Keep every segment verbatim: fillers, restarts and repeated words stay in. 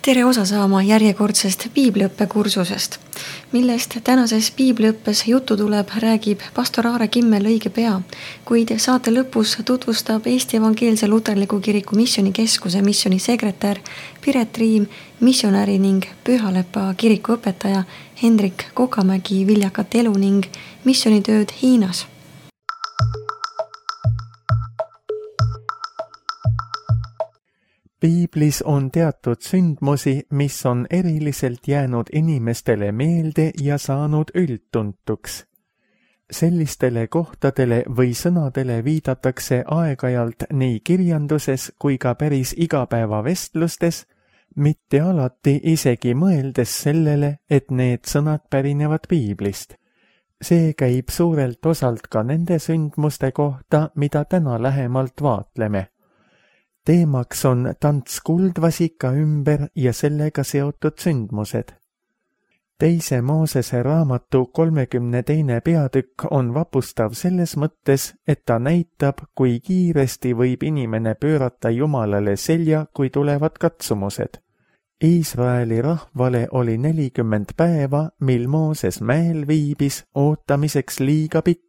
Tere osa saama järjekordsest piibliõppekursusest, millest tänases piibliõppes jutu tuleb, räägib pastor Aare Kimmel õige pea, kuid saate lõpus tutvustab Eesti Evangeelse Luterliku Kiriku Missionikeskuse missionisekretär Piret Riim, missionäri ning Pühalepa kiriku õpetaja Hendrik Kokamägi viljakat elu ning missionitööd Hiinas. Piiblis on teatud sündmusi, mis on eriliselt jäänud inimestele meelde ja saanud üldtuntuks. Sellistele kohtadele või sõnadele viidatakse aeg-ajalt nii kirjanduses kui ka päris igapäevavestlustes, mitte alati isegi mõeldes sellele, et need sõnad pärinevad Piiblist. See käib suurelt osalt ka nende sündmuste kohta, mida täna lähemalt vaatleme. Teemaks on tants kuldvasika ümber ja sellega seotud sündmused. Teise Moosese raamatu kolmekümne teine peatükk on vapustav selles mõttes, et ta näitab, kui kiiresti võib inimene pöörata Jumalale selja, kui tulevad katsumused. Iisraeli rahvale oli nelikümmend päeva, mil Mooses mäel viibis, ootamiseks liiga pikk.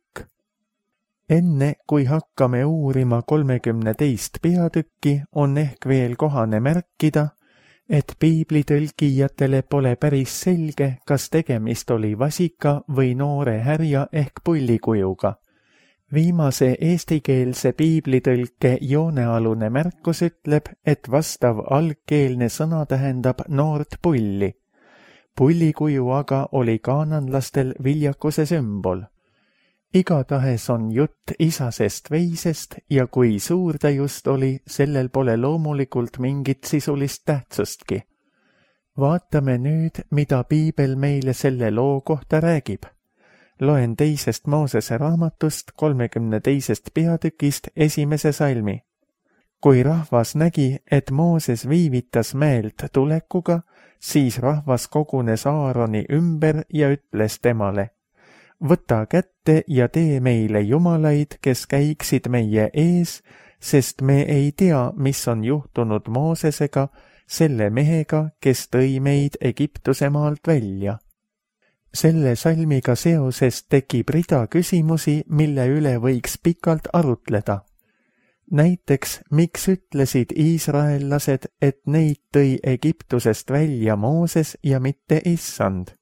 Enne, kui hakkame uurima kolmekümne teist peatükki, on ehk veel kohane märkida, et piiblitõlkijatele pole päris selge, kas tegemist oli vasika või noore härja ehk pullikujuga. Viimase eestikeelse piiblitõlke joonealune märkus ütleb, et vastav algkeelne sõna tähendab noort pulli. Pullikuju aga oli kaananlastel viljakuse sümbol. Igatahes on jutt isasest veisest ja kui suur ta just oli, sellel pole loomulikult mingit sisulist tähtsustki. Vaatame nüüd, mida Piibel meile selle loo kohta räägib. Loen teisest Moosese raamatust kolmekümne teisest peatükist esimese salmi. Kui rahvas nägi, et Mooses viivitas mäelt tulekuga, siis rahvas kogunes Aaroni ümber ja ütles temale: võta kätte ja tee meile jumalaid, kes käiksid meie ees, sest me ei tea, mis on juhtunud Moosesega, selle mehega, kes tõi meid Egiptuse maalt välja. Selle salmiga seoses tekib rida küsimusi, mille üle võiks pikalt arutleda. Näiteks, miks ütlesid iisraellased, et neid tõi Egiptusest välja Mooses ja mitte issand?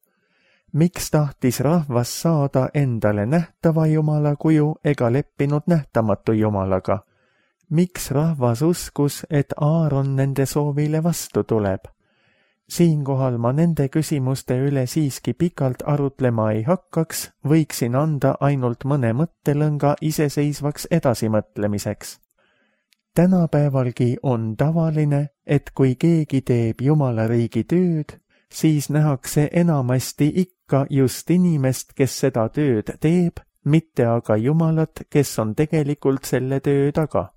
Miks tahtis rahvas saada endale nähtava Jumala kuju ega leppinud nähtamatu Jumalaga? Miks rahvas uskus, et Aaron nende soovile vastu tuleb? Siinkohal ma nende küsimuste üle siiski pikalt arutlema ei hakkaks, võiksin anda ainult mõne mõttelõnga iseseisvaks edasimõtlemiseks. Tänapäevalgi on tavaline, et kui keegi teeb Jumala riigi tööd, siis nähakse enamasti ikka just inimest, kes seda tööd teeb, mitte aga Jumalat, kes on tegelikult selle töö taga.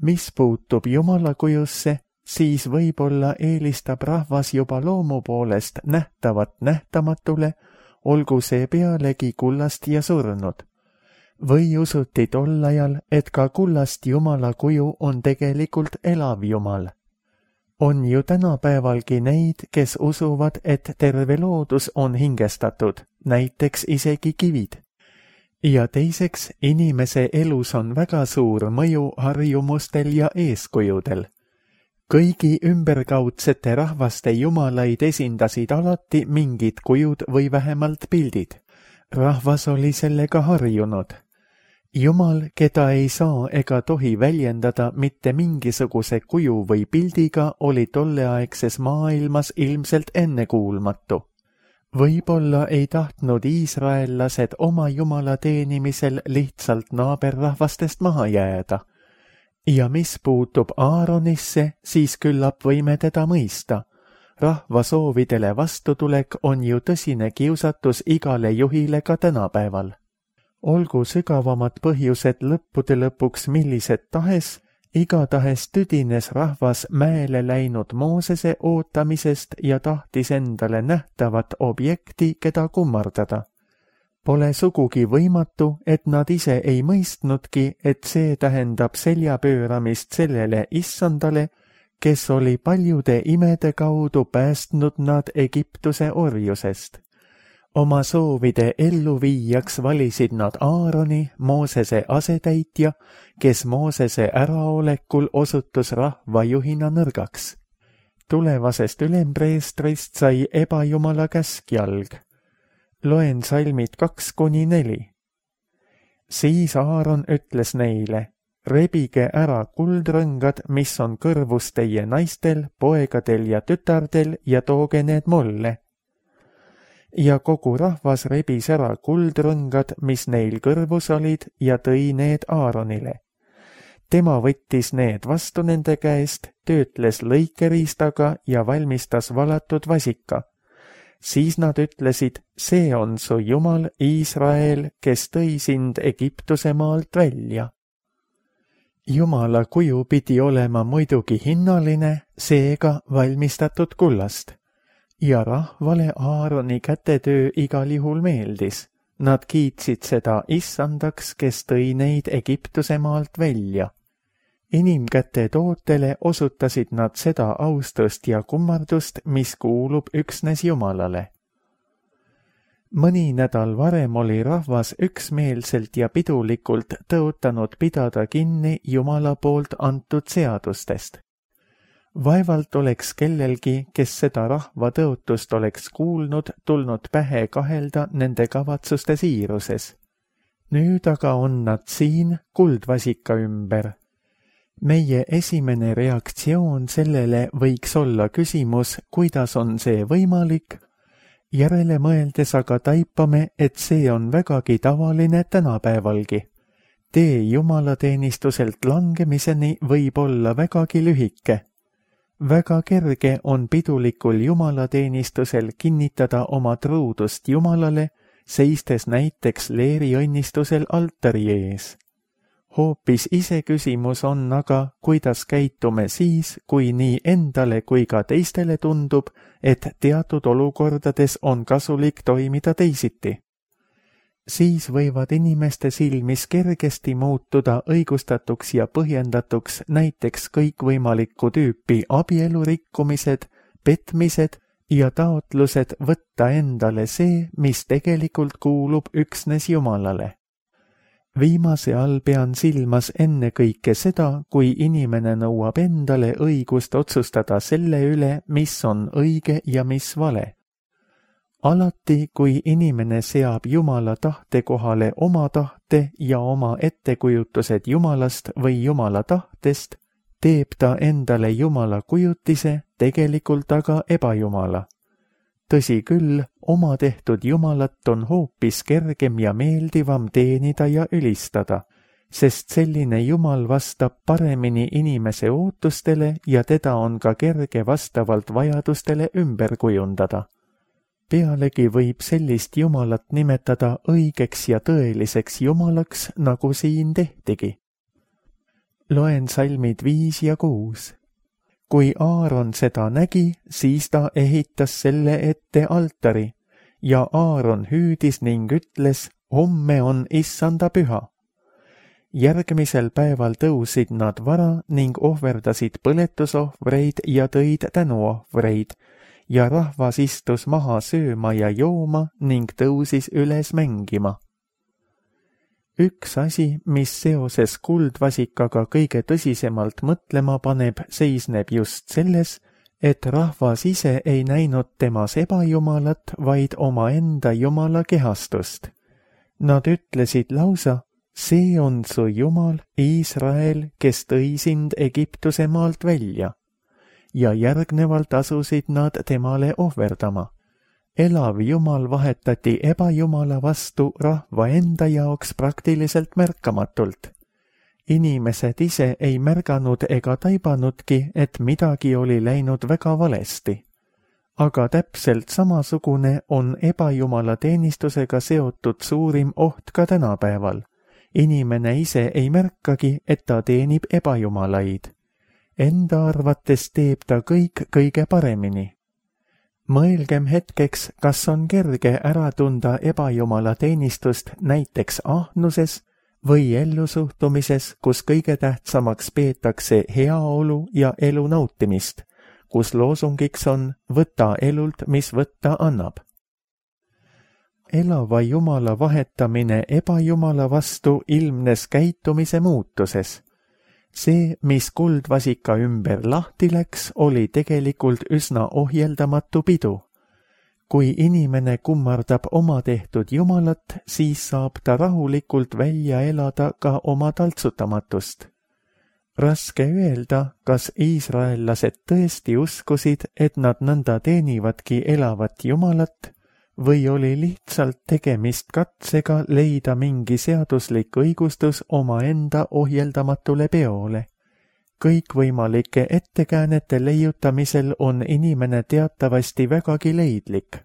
Mis puutub Jumala kujusse, siis võib-olla eelistab rahvas juba loomu poolest nähtavat nähtamatule, olgu see pealegi kullast ja surnud. Või usuti tol ajal, et ka kullast Jumala kuju on tegelikult elav Jumal. On ju tänapäevalgi neid, kes usuvad, et terve loodus on hingestatud, näiteks isegi kivid. Ja teiseks, inimese elus on väga suur mõju harjumustel ja eeskujudel. Kõigi ümberkaudsete rahvaste jumalaid esindasid alati mingid kujud või vähemalt pildid. Rahvas oli sellega harjunud. Jumal, keda ei saa ega tohi väljendada mitte mingisuguse kuju või pildiga, oli tolleaegses maailmas ilmselt ennekuulmatu. Võib-olla ei tahtnud iisraellased oma Jumala teenimisel lihtsalt naaberrahvastest maha jääda. Ja mis puutub Aaronisse, siis küllap võime teda mõista. Rahva soovidele vastutulek on ju tõsine kiusatus igale juhile ka tänapäeval. Olgu sügavamad põhjused lõppude lõpuks millised tahes, igatahes tüdines rahvas mäele läinud Moosese ootamisest ja tahtis endale nähtavat objekti, keda kummardada. Pole sugugi võimatu, et nad ise ei mõistnudki, et see tähendab selja pööramist sellele issandale, kes oli paljude imede kaudu päästnud nad Egiptuse orjusest. Oma soovide elluviijaks valisid nad Aaroni, Moosese asetäitja, kes Moosese äraolekul osutus rahvajuhina nõrgaks. Tulevasest ülempreestrist sai ebajumala käskjalg. Loen salmid kaks kuni neli. Siis Aaron ütles neile, rebige ära kuldrõngad, mis on kõrvus teie naistel, poegadel ja tütardel ja tooge need mulle. Ja kogu rahvas rebis ära kuldrõngad, mis neil kõrvus olid, ja tõi need Aaronile. Tema võttis need vastu nende käest, töötles lõikeriistaga ja valmistas valatud vasika. Siis nad ütlesid, see on su Jumal Iisrael, kes tõi sind Egiptuse maalt välja. Jumala kuju pidi olema muidugi hinnaline, seega valmistatud kullast. Ja rahvale Aaroni kätetöö igal juhul meeldis. Nad kiitsid seda issandaks, kes tõi neid Egiptuse maalt välja. Inimkäte tootele osutasid nad seda austust ja kummardust, mis kuulub üksnes Jumalale. Mõni nädal varem oli rahvas üksmeelselt ja pidulikult tõotanud pidada kinni Jumala poolt antud seadustest. Vaevalt oleks kellelgi, kes seda rahva tõotust oleks kuulnud, tulnud pähe kahelda nende kavatsuste siiruses. Nüüd aga on nad siin kuldvasika ümber. Meie esimene reaktsioon sellele võiks olla küsimus, kuidas on see võimalik. Järele mõeldes aga taipame, et see on vägagi tavaline tänapäevalgi. Tee jumalateenistuselt langemiseni võib olla vägagi lühike. Väga kerge on pidulikul jumalateenistusel kinnitada oma truudust Jumalale, seistes näiteks leeriõnnistusel altari ees. Hoopis ise küsimus on aga, kuidas käitume siis, kui nii endale kui ka teistele tundub, et teatud olukordades on kasulik toimida teisiti. Siis võivad inimeste silmis kergesti muutuda õigustatuks ja põhjendatuks näiteks kõikvõimalikku tüüpi abielurikkumised, petmised ja taotlused võtta endale see, mis tegelikult kuulub üksnes Jumalale. Viimase all pean silmas ennekõike seda, kui inimene nõuab endale õigust otsustada selle üle, mis on õige ja mis vale. Alati, kui inimene seab Jumala tahte kohale oma tahte ja oma ettekujutused Jumalast või Jumala tahtest, teeb ta endale Jumala kujutise, tegelikult aga ebajumala. Tõsi küll, oma tehtud Jumalat on hoopis kergem ja meeldivam teenida ja ülistada, sest selline Jumal vastab paremini inimese ootustele ja teda on ka kerge vastavalt vajadustele ümber kujundada. Pealegi võib sellist Jumalat nimetada õigeks ja tõeliseks Jumalaks, nagu siin tehtigi. Loen salmid viis ja kuus. Kui Aaron seda nägi, siis ta ehitas selle ette altari ja Aaron hüüdis ning ütles, homme on issanda püha. Järgmisel päeval tõusid nad vara ning ohverdasid põletusohvreid ja tõid tänuohvreid ja rahvas istus maha sööma ja jooma ning tõusis üles mängima. Üks asi, mis seoses kuldvasikaga kõige tõsisemalt mõtlema paneb, seisneb just selles, et rahvas ise ei näinud temas ebajumalat, vaid omaenda jumala kehastust. Nad ütlesid lausa, see on su Jumal, Iisrael, kes tõi sind Egiptuse maalt välja. Ja järgnevalt asusid nad temale ohverdama. Elav Jumal vahetati ebajumala vastu rahva enda jaoks praktiliselt märkamatult. Inimesed ise ei märganud ega taibanudki, et midagi oli läinud väga valesti. Aga täpselt samasugune on ebajumala teenistusega seotud suurim oht ka tänapäeval. Inimene ise ei märkagi, et ta teenib ebajumalaid. Enda arvates teeb ta kõik kõige paremini. Mõelgem hetkeks, kas on kerge ära tunda ebajumala teenistust näiteks ahnuses või ellusuhtumises, kus kõige tähtsamaks peetakse heaolu ja elu nautimist, kus loosungiks on võta elult, mis võtta annab. Elava Jumala vahetamine ebajumala vastu ilmnes käitumise muutuses. See, mis kuldvasika ümber lahti läks, oli tegelikult üsna ohjeldamatu pidu. Kui inimene kummardab oma tehtud Jumalat, siis saab ta rahulikult välja elada ka oma taltsutamatust. Raske öelda, kas iisraellased tõesti uskusid, et nad nõnda teenivadki elavat Jumalat, või oli lihtsalt tegemist katsega leida mingi seaduslik õigustus omaenda ohjeldamatule peole. Kõikvõimalike ettekäänete leiutamisel on inimene teatavasti vägagi leidlik.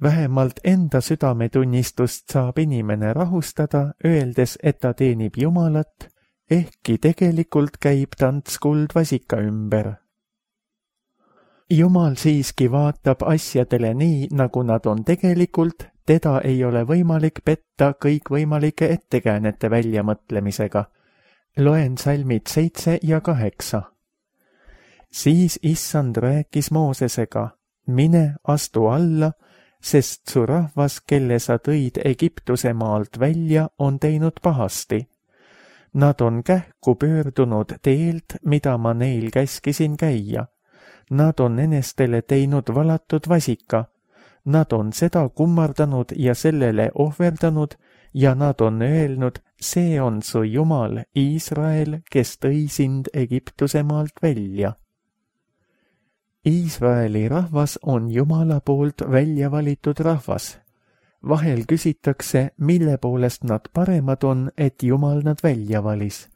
Vähemalt enda südametunnistust saab inimene rahustada, öeldes, et ta teenib Jumalat, ehkki tegelikult käib tants kuldvasika ümber. Jumal siiski vaatab asjadele nii, nagu nad on tegelikult, teda ei ole võimalik petta kõikvõimalike ettekäänete väljamõtlemisega. Loen salmid seitse ja kaheksa. Siis issand rääkis Moosesega, mine astu alla, sest su rahvas, kelle sa tõid Egiptuse maalt välja, on teinud pahasti. Nad on kähku pöördunud teelt, mida ma neil käskisin käia. Nad on enestele teinud valatud vasika. Nad on seda kummardanud ja sellele ohverdanud ja nad on öelnud, see on su Jumal, Iisrael, kes tõi sind Egiptuse maalt välja. Iisraeli rahvas on Jumala poolt välja valitud rahvas. Vahel küsitakse, mille poolest nad paremad on, et Jumal nad välja valis.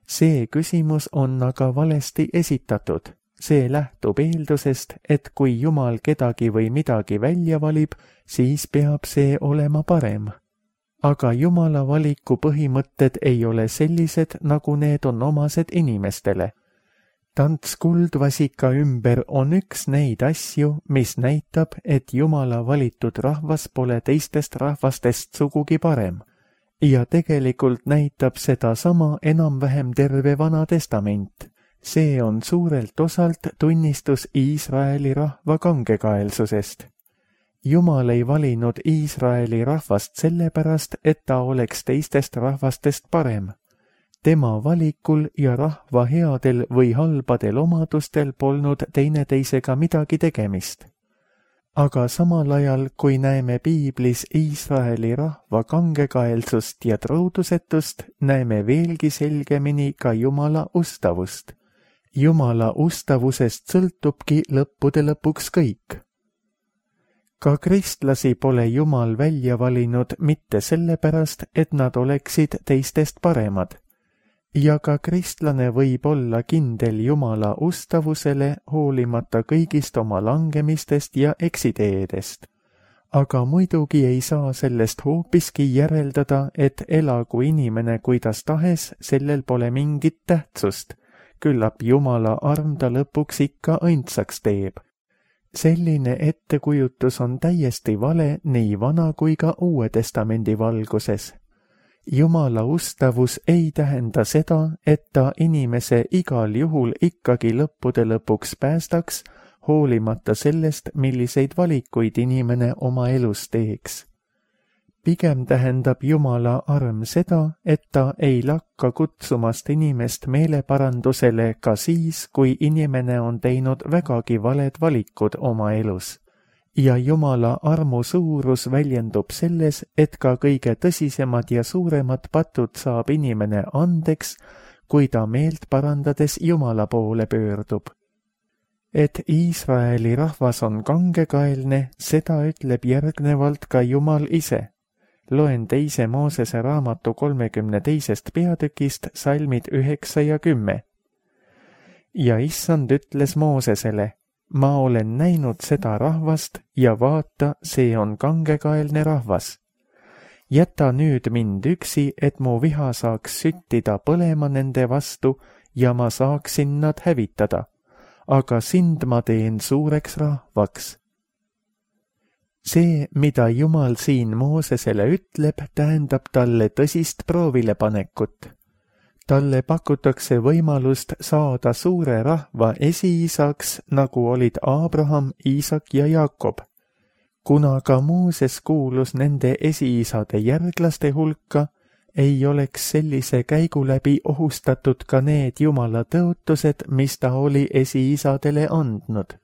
See küsimus on aga valesti esitatud. See lähtub eeldusest, et kui Jumal kedagi või midagi välja valib, siis peab see olema parem. Aga Jumala valiku põhimõtted ei ole sellised, nagu need on omased inimestele. Tants kuldvasika ümber on üks neid asju, mis näitab, et Jumala valitud rahvas pole teistest rahvastest sugugi parem. Ja tegelikult näitab seda sama enam-vähem terve Vana Testament. See on suurelt osalt tunnistus Iisraeli rahva kangekaelsusest. Jumal ei valinud Iisraeli rahvast sellepärast, et ta oleks teistest rahvastest parem. Tema valikul ja rahva headel või halbadel omadustel polnud teineteisega midagi tegemist. Aga samal ajal, kui näeme piiblis Iisraeli rahva kangekaelsust ja truudusetust, näeme veelgi selgemini ka Jumala ustavust. Jumala ustavusest sõltubki lõppude lõpuks kõik. Ka kristlasi pole Jumal välja valinud mitte sellepärast, et nad oleksid teistest paremad. Ja ka kristlane võib olla kindel Jumala ustavusele hoolimata kõigist oma langemistest ja eksiteedest. Aga muidugi ei saa sellest hoopiski järeldada, et elagu inimene kuidas tahes, sellel pole mingit tähtsust. Küllap Jumala arm ta lõpuks ikka õndsaks teeb. Selline ettekujutus on täiesti vale nii Vana kui ka Uue Testamendi valguses. Jumala ustavus ei tähenda seda, et ta inimese igal juhul ikkagi lõppude lõpuks päästaks, hoolimata sellest, milliseid valikuid inimene oma elus teeks. Pigem tähendab Jumala arm seda, et ta ei lakka kutsumast inimest meeleparandusele ka siis, kui inimene on teinud vägagi valed valikud oma elus. Ja Jumala armu suurus väljendub selles, et ka kõige tõsisemad ja suuremad patud saab inimene andeks, kui ta meelt parandades Jumala poole pöördub. Et Iisraeli rahvas on kangekaelne, seda ütleb järgnevalt ka Jumal ise. Loen teise Moosese raamatu kolmekümne teisest peatükist salmid üheksa ja kümme. Ja issand ütles Moosesele, ma olen näinud seda rahvast ja vaata, see on kangekaelne rahvas. Jäta nüüd mind üksi, et mu viha saaks süttida põlema nende vastu ja ma saaksin nad hävitada, aga sind ma teen suureks rahvaks. See, mida Jumal siin Moosesele ütleb, tähendab talle tõsist proovilepanekut. Talle pakutakse võimalust saada suure rahva esiisaks, nagu olid Abraham, Iisak ja Jakob. Kuna ka Mooses kuulus nende esiisade järglaste hulka, ei oleks sellise käigu läbi ohustatud ka need Jumala tõotused, mis ta oli esiisadele andnud.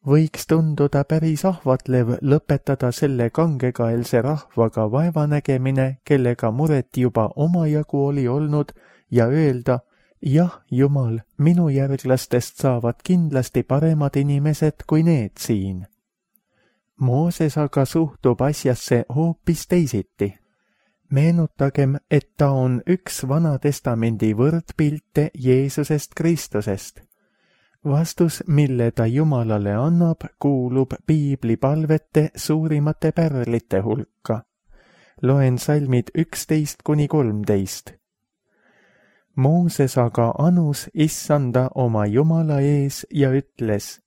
Võiks tunduda päris ahvatlev lõpetada selle kangekaelse rahvaga vaevanägemine, kellega muret juba omajagu oli olnud, ja öelda, jah, Jumal, minu järglastest saavad kindlasti paremad inimesed kui need siin. Mooses aga suhtub asjasse hoopis teisiti. Meenutagem, et ta on üks Vana Testamendi võrdpilte Jeesusest Kristusest. Vastus, mille ta Jumalale annab, kuulub piibli palvete suurimate pärlite hulka. Loen salmid üksteist kuni kolmteist. Mooses aga anus issanda oma Jumala ees ja ütles,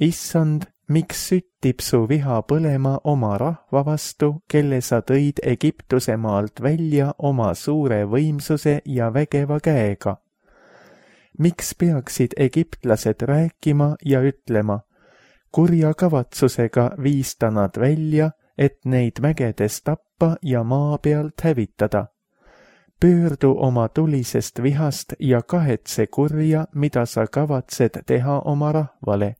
Issand, miks süttib su viha põlema oma rahva vastu, kelle sa tõid Egiptuse maalt välja oma suure võimsuse ja vägeva käega? Miks peaksid egiptlased rääkima ja ütlema, kurja kavatsusega viis ta nad välja, et neid mägedes tappa ja maa pealt hävitada? Pöördu oma tulisest vihast ja kahetse kurja, mida sa kavatsed teha oma rahvale.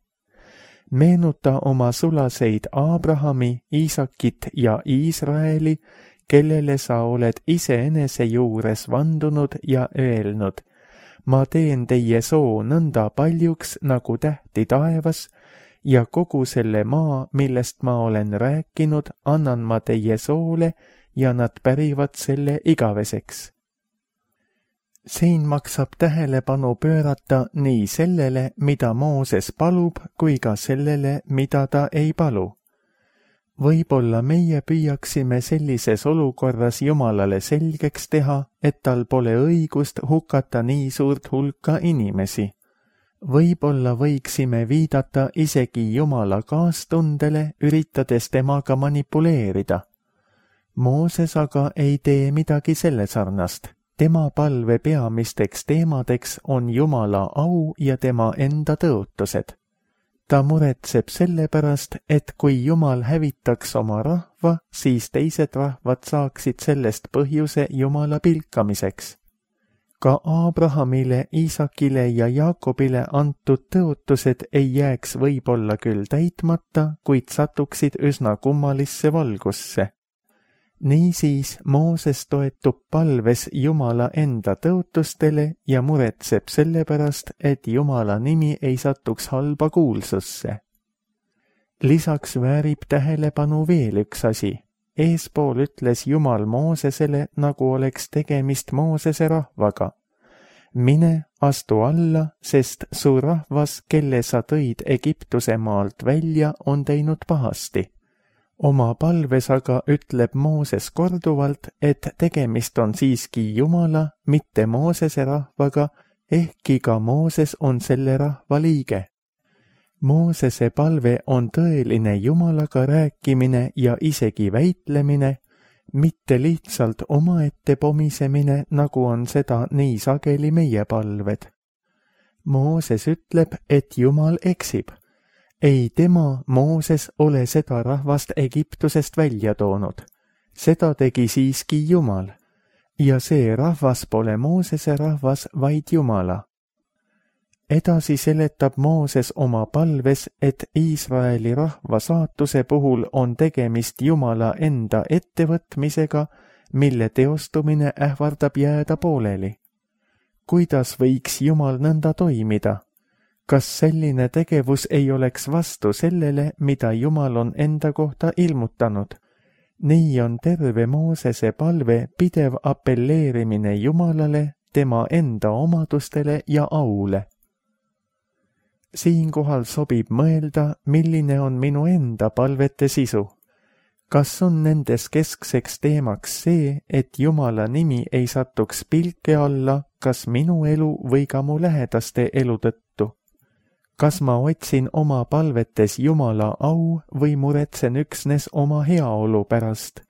Meenuta oma sulaseid Abrahami, Iisakit ja Iisraeli, kellele sa oled iseenese juures vandunud ja öelnud, ma teen teie soo nõnda paljuks nagu tähti taevas ja kogu selle maa, millest ma olen rääkinud, annan ma teie soole ja nad pärivad selle igaveseks. Siin maksab tähelepanu pöörata nii sellele, mida Mooses palub, kui ka sellele, mida ta ei palu. Võib-olla meie püüaksime sellises olukorras Jumalale selgeks teha, et tal pole õigust hukata nii suurt hulka inimesi. Võib-olla võiksime viidata isegi Jumala kaastundele, üritades temaga manipuleerida. Mooses aga ei tee midagi selle sarnast. Tema palve peamisteks teemadeks on Jumala au ja tema enda tõotused. Ta muretseb selle pärast, et kui Jumal hävitaks oma rahva, siis teised rahvad saaksid sellest põhjuse Jumala pilkamiseks. Ka Abrahamile, Iisakile ja Jaakobile antud tõotused ei jääks võib-olla küll täitmata, kuid satuksid üsna kummalisse valgusse. Niisiis Mooses toetub palves Jumala enda tõotustele ja muretseb selle pärast, et Jumala nimi ei satuks halba kuulsusse. Lisaks väärib tähelepanu veel üks asi. Eespool ütles Jumal Moosesele, nagu oleks tegemist Moosese rahvaga. Mine, astu alla, sest su rahvas, kelle sa tõid Egiptuse maalt välja, on teinud pahasti. Oma palves aga ütleb Mooses korduvalt, et tegemist on siiski Jumala, mitte Moosese rahvaga, ehkki ka Mooses on selle rahva liige. Moosese palve on tõeline Jumalaga rääkimine ja isegi väitlemine, mitte lihtsalt omaette pomisemine, nagu on seda nii sageli meie palved. Mooses ütleb, et Jumal eksib. Ei tema, Mooses, ole seda rahvast Egiptusest välja toonud. Seda tegi siiski Jumal. Ja see rahvas pole Moosese rahvas, vaid Jumala. Edasi seletab Mooses oma palves, et Iisraeli rahva saatuse puhul on tegemist Jumala enda ettevõtmisega, mille teostumine ähvardab jääda pooleli. Kuidas võiks Jumal nõnda toimida? Kas selline tegevus ei oleks vastu sellele, mida Jumal on enda kohta ilmutanud? Nii on terve Moosese palve pidev appelleerimine Jumalale, tema enda omadustele ja aule. Siinkohal sobib mõelda, milline on minu enda palvete sisu. Kas on nendes keskseks teemaks see, et Jumala nimi ei satuks pilke alla, kas minu elu või ka mu lähedaste elu tõttu? kas ma otsin oma palvetes Jumala au või muretsen üksnes oma heaolu pärast?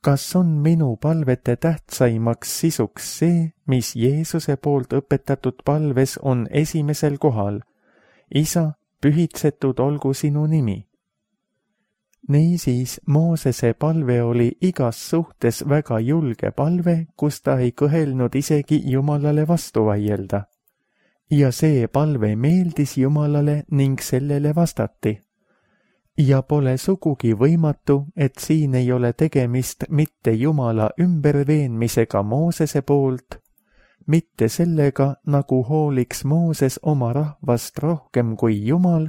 Kas on minu palvete tähtsaimaks sisuks see, mis Jeesuse poolt õpetatud palves on esimesel kohal? Isa, pühitsetud olgu sinu nimi. Niisiis, Moosese palve oli igas suhtes väga julge palve, kus ta ei kõhelnud isegi Jumalale vastu vaielda. Ja see palve meeldis Jumalale ning sellele vastati. Ja pole sugugi võimatu, et siin ei ole tegemist mitte Jumala ümberveenmisega Moosese poolt, mitte sellega, nagu hooliks Mooses oma rahvast rohkem kui Jumal,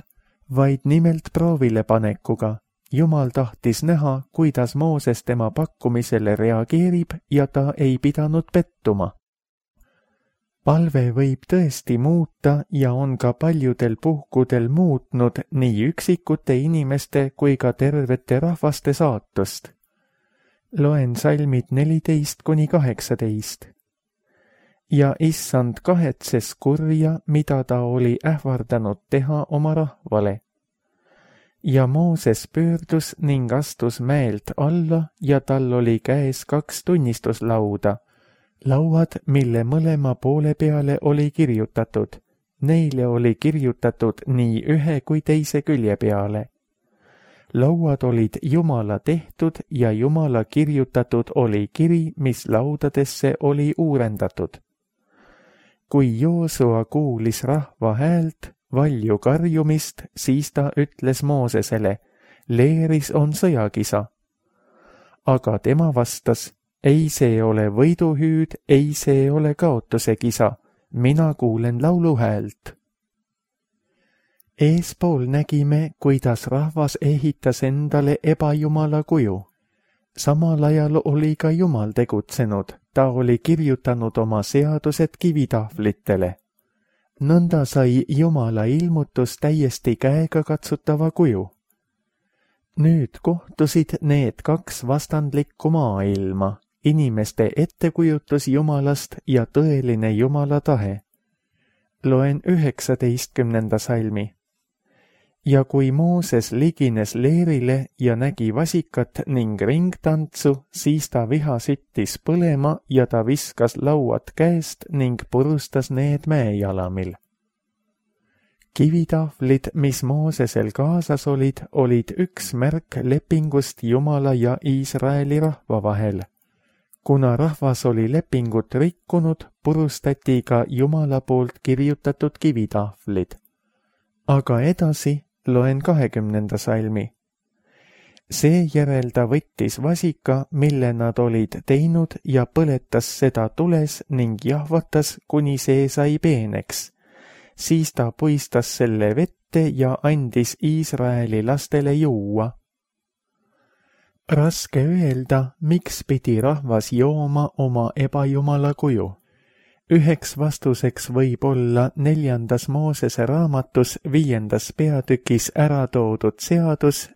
vaid nimelt proovile panekuga. Jumal tahtis näha, kuidas Mooses tema pakkumisele reageerib ja ta ei pidanud pettuma. Palve võib tõesti muuta ja on ka paljudel puhkudel muutnud nii üksikute inimeste kui ka tervete rahvaste saatust. Loen salmid neliteist kuni kaheksateist. Ja issand kahetses kurja, mida ta oli ähvardanud teha oma rahvale. Ja Mooses pöördus ning astus mäelt alla ja tal oli käes kaks tunnistuslauda, lauad, mille mõlema poole peale oli kirjutatud. Neile oli kirjutatud nii ühe kui teise külje peale. Lauad olid Jumala tehtud ja Jumala kirjutatud oli kiri, mis laudadesse oli uurendatud. Kui Joosua kuulis rahva häält, valju karjumist, siis ta ütles Moosesele, leeris on sõjakisa. Aga tema vastas, ei see ole võiduhüüd, ei see ole kaotuse kisa, mina kuulen laulu häält. Eespool nägime, kuidas rahvas ehitas endale ebajumala kuju. Samal ajal oli ka Jumal tegutsenud, ta oli kirjutanud oma seadused kivitahvlitele. Nõnda sai Jumala ilmutus täiesti käega katsutava kuju. Nüüd kohtusid need kaks vastandlikku maailma, inimeste ettekujutus Jumalast ja tõeline Jumala tahe. Loen üheksateistkümnenda salmi. Ja kui Mooses ligines leerile ja nägi vasikat ning ringtantsu, siis ta viha süttis põlema ja ta viskas lauad käest ning purustas need mäejalamil. Kivitahvlid, mis Moosesel kaasas olid, olid üks märk lepingust Jumala ja Iisraeli rahva vahel. Kuna rahvas oli lepingut rikkunud, purustati ka Jumala poolt kirjutatud kivitahvlid. Aga edasi loen kahekümnenda salmi. Seejärel ta võttis vasika, mille nad olid teinud ja põletas seda tules ning jahvatas, kuni see sai peeneks. Siis ta puistas selle vette ja andis Iisraeli lastele juua. Raske öelda, miks pidi rahvas jooma oma ebajumala kuju. Üheks vastuseks võib olla neljandas Moosese raamatus viiendas peatükis ära toodud seadus,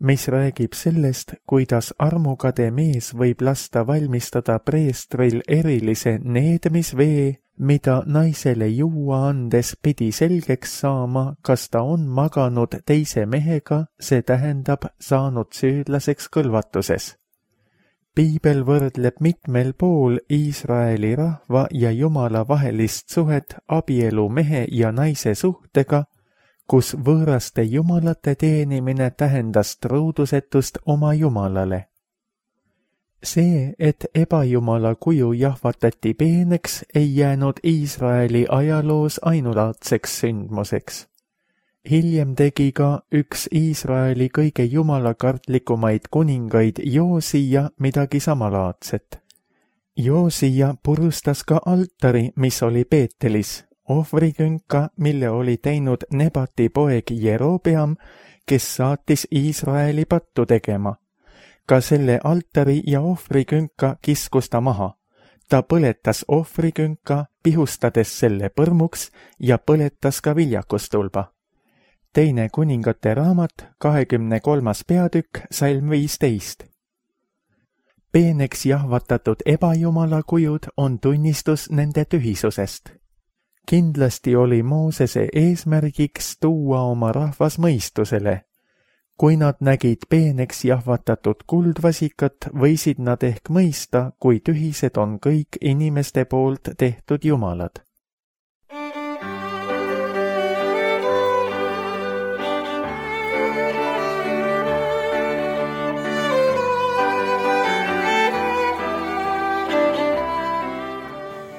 mis räägib sellest, kuidas armukade mees võib lasta valmistada preestril erilise needmisvee, mida naisele juua andes pidi selgeks saama, kas ta on maganud teise mehega, see tähendab saanud süüdlaseks kõlvatuses. Piibel võrdleb mitmel pool Iisraeli rahva ja Jumala vahelist suhet abielu mehe ja naise suhtega, kus võõraste jumalate teenimine tähendas truudusetust oma Jumalale. See, et ebajumala kuju jahvatati peeneks, ei jäänud Iisraeli ajaloos ainulaadseks sündmuseks. Hiljem tegi ka üks Iisraeli kõige jumalakartlikumaid kuningaid Joosija midagi samalaadset. Joosija purustas ka altari, mis oli Peetelis, ohvrikünka, mille oli teinud Nebati poeg Jerobeam, kes saatis Iisraeli pattu tegema. Ka selle altari ja ohvrikünka kiskus ta maha. Ta põletas ohvrikünka, pihustades selle põrmuks ja põletas ka viljakustulba. Teine kuningate raamat, kahekümne kolmas peatükk, salm viisteist. Peeneks jahvatatud ebajumala kujud on tunnistus nende tühisusest. kindlasti oli Moosese eesmärgiks tuua oma rahvas mõistusele. Kui nad nägid peeneks jahvatatud kuldvasikat, võisid nad ehk mõista, kui tühised on kõik inimeste poolt tehtud jumalad.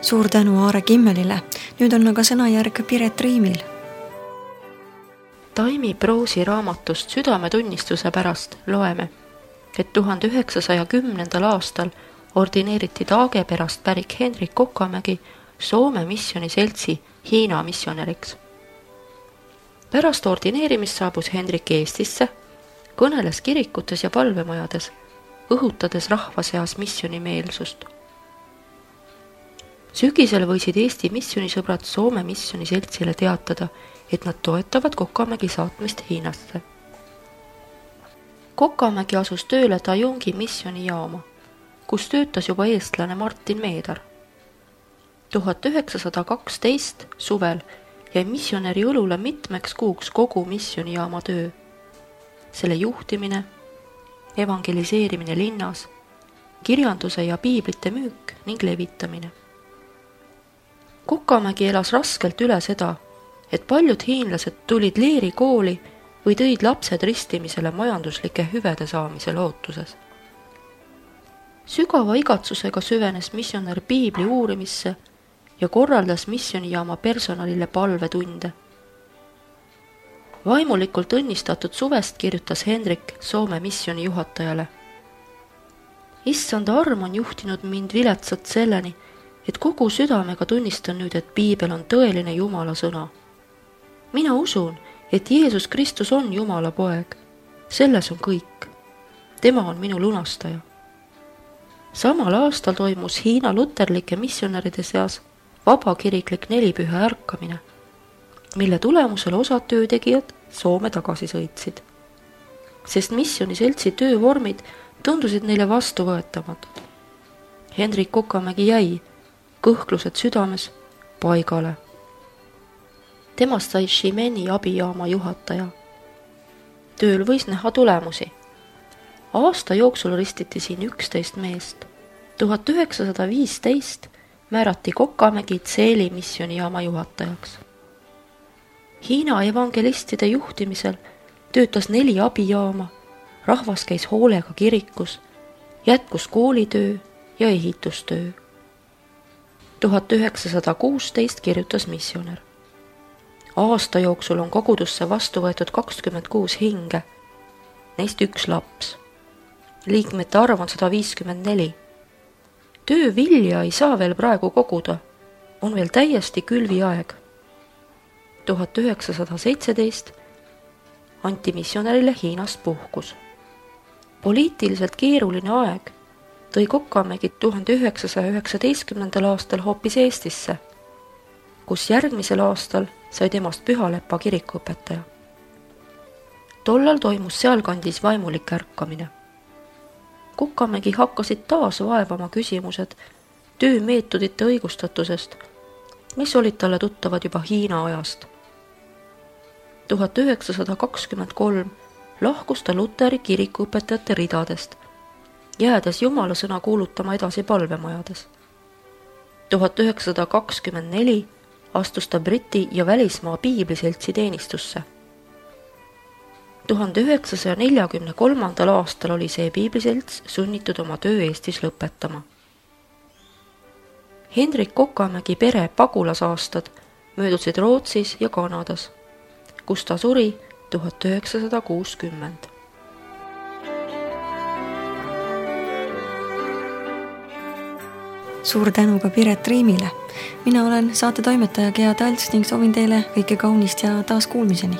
Suur tänu Aare Kimmelile. Nüüd on aga sõnajärg Piret Riimil. Taimi Proosi raamatust Südametunnistuse pärast loeme, et tuhande üheksasaja kümnendal aastal ordineeriti Taageperast pärik Hendrik Kokamägi Soome missioniseltsi Hiina missionäriks. Pärast ordineerimist saabus Hendrik Eestisse, kõneles kirikutes ja palvemajades, õhutades rahva seas missionimeelsust. Sügisel võisid Eesti missioonisõbrad Soome missioniseltsile teatada, et nad toetavad Kokamägi saatmist Hiinasse. Kokamägi asus tööle Tajungi missionijaama, kus töötas juba eestlane Martin Meedar. tuhat üheksasada kaksteist suvel jäi missionäri õlule mitmeks kuuks kogu missionijaama töö. Selle juhtimine, evangeliseerimine linnas, kirjanduse ja piiblite müük ning levitamine. Kokamägi elas raskelt üle seda, et paljud hiinlased tulid leeri kooli või tõid lapsed ristimisele majanduslike hüvede saamise lootuses. Sügava igatsusega süvenes missionär piibli uurimisse ja korraldas missionijaama personalile palvetunde. Vaimulikult õnnistatud suvest kirjutas Hendrik Soome missioni juhatajale. Issanda arm on juhtinud mind viletsat selleni, et kogu südamega tunnistan nüüd, et piibel on tõeline Jumala sõna. Mina usun, et Jeesus Kristus on Jumala poeg. Selles on kõik. Tema on minu lunastaja. Samal aastal toimus Hiina luterlike missionäride seas vabakiriklik nelipüha ärkamine, mille tulemusel osad töötegijad Soome tagasi sõitsid, sest missioniseltsi töövormid tundusid neile vastuvõetamatud. Hendrik Kokamägi jäi, kõhklused südames, paigale. Temast sai Shimeni abijaama juhataja. Tööl võis näha tulemusi. Aasta jooksul ristiti siin üksteist meest. tuhat üheksasada viisteist määrati Kokamägi Tseeli missionijaama juhatajaks. Hiina evangelistide juhtimisel töötas neli abijaama, rahvas käis hoolega kirikus, jätkus koolitöö ja ehitustöö. tuhat üheksasada kuusteist kirjutas missionär. Aasta jooksul on kogudusse vastu võetud kakskümmend kuus hinge, neist üks laps. Liikmete arv on sada viiskümmend neli. Töö vilja ei saa veel praegu koguda, on veel täiesti külviaeg. tuhat üheksasada seitseteist anti missionärile Hiinast puhkus. Poliitiliselt keeruline aeg tõi Kokamägi tuhande üheksasaja üheksateistkümnendal aastal hoopis Eestisse, kus järgmisel aastal sai temast Pühalepa kirikuõpetaja. Tollal toimus sealkandis vaimulik ärkamine. Kokamägi hakkasid taas vaevama küsimused töömeetodite õigustatusest, mis olid talle tuttavad juba Hiina ajast. tuhat üheksasada kakskümmend kolm lahkus ta Luteri kirikuõpetajate ridadest, jäädes Jumala sõna kuulutama edasi palvemajades. tuhat üheksasada kakskümmend neli astus ta Briti ja välismaa piibliseltsi teenistusse. tuhande üheksasaja neljakümne kolmandal aastal oli see piibliselts sunnitud oma töö Eestis lõpetama. Hendrik Kokamägi pere pagulasaastad möödusid Rootsis ja Kanadas, kus ta suri tuhat üheksasada kuuskümmend. Suur tänu ka Piret Riimile. Mina olen saate toimetaja Gea Talts ning soovin teile kõike kaunist ja taas kuulmiseni.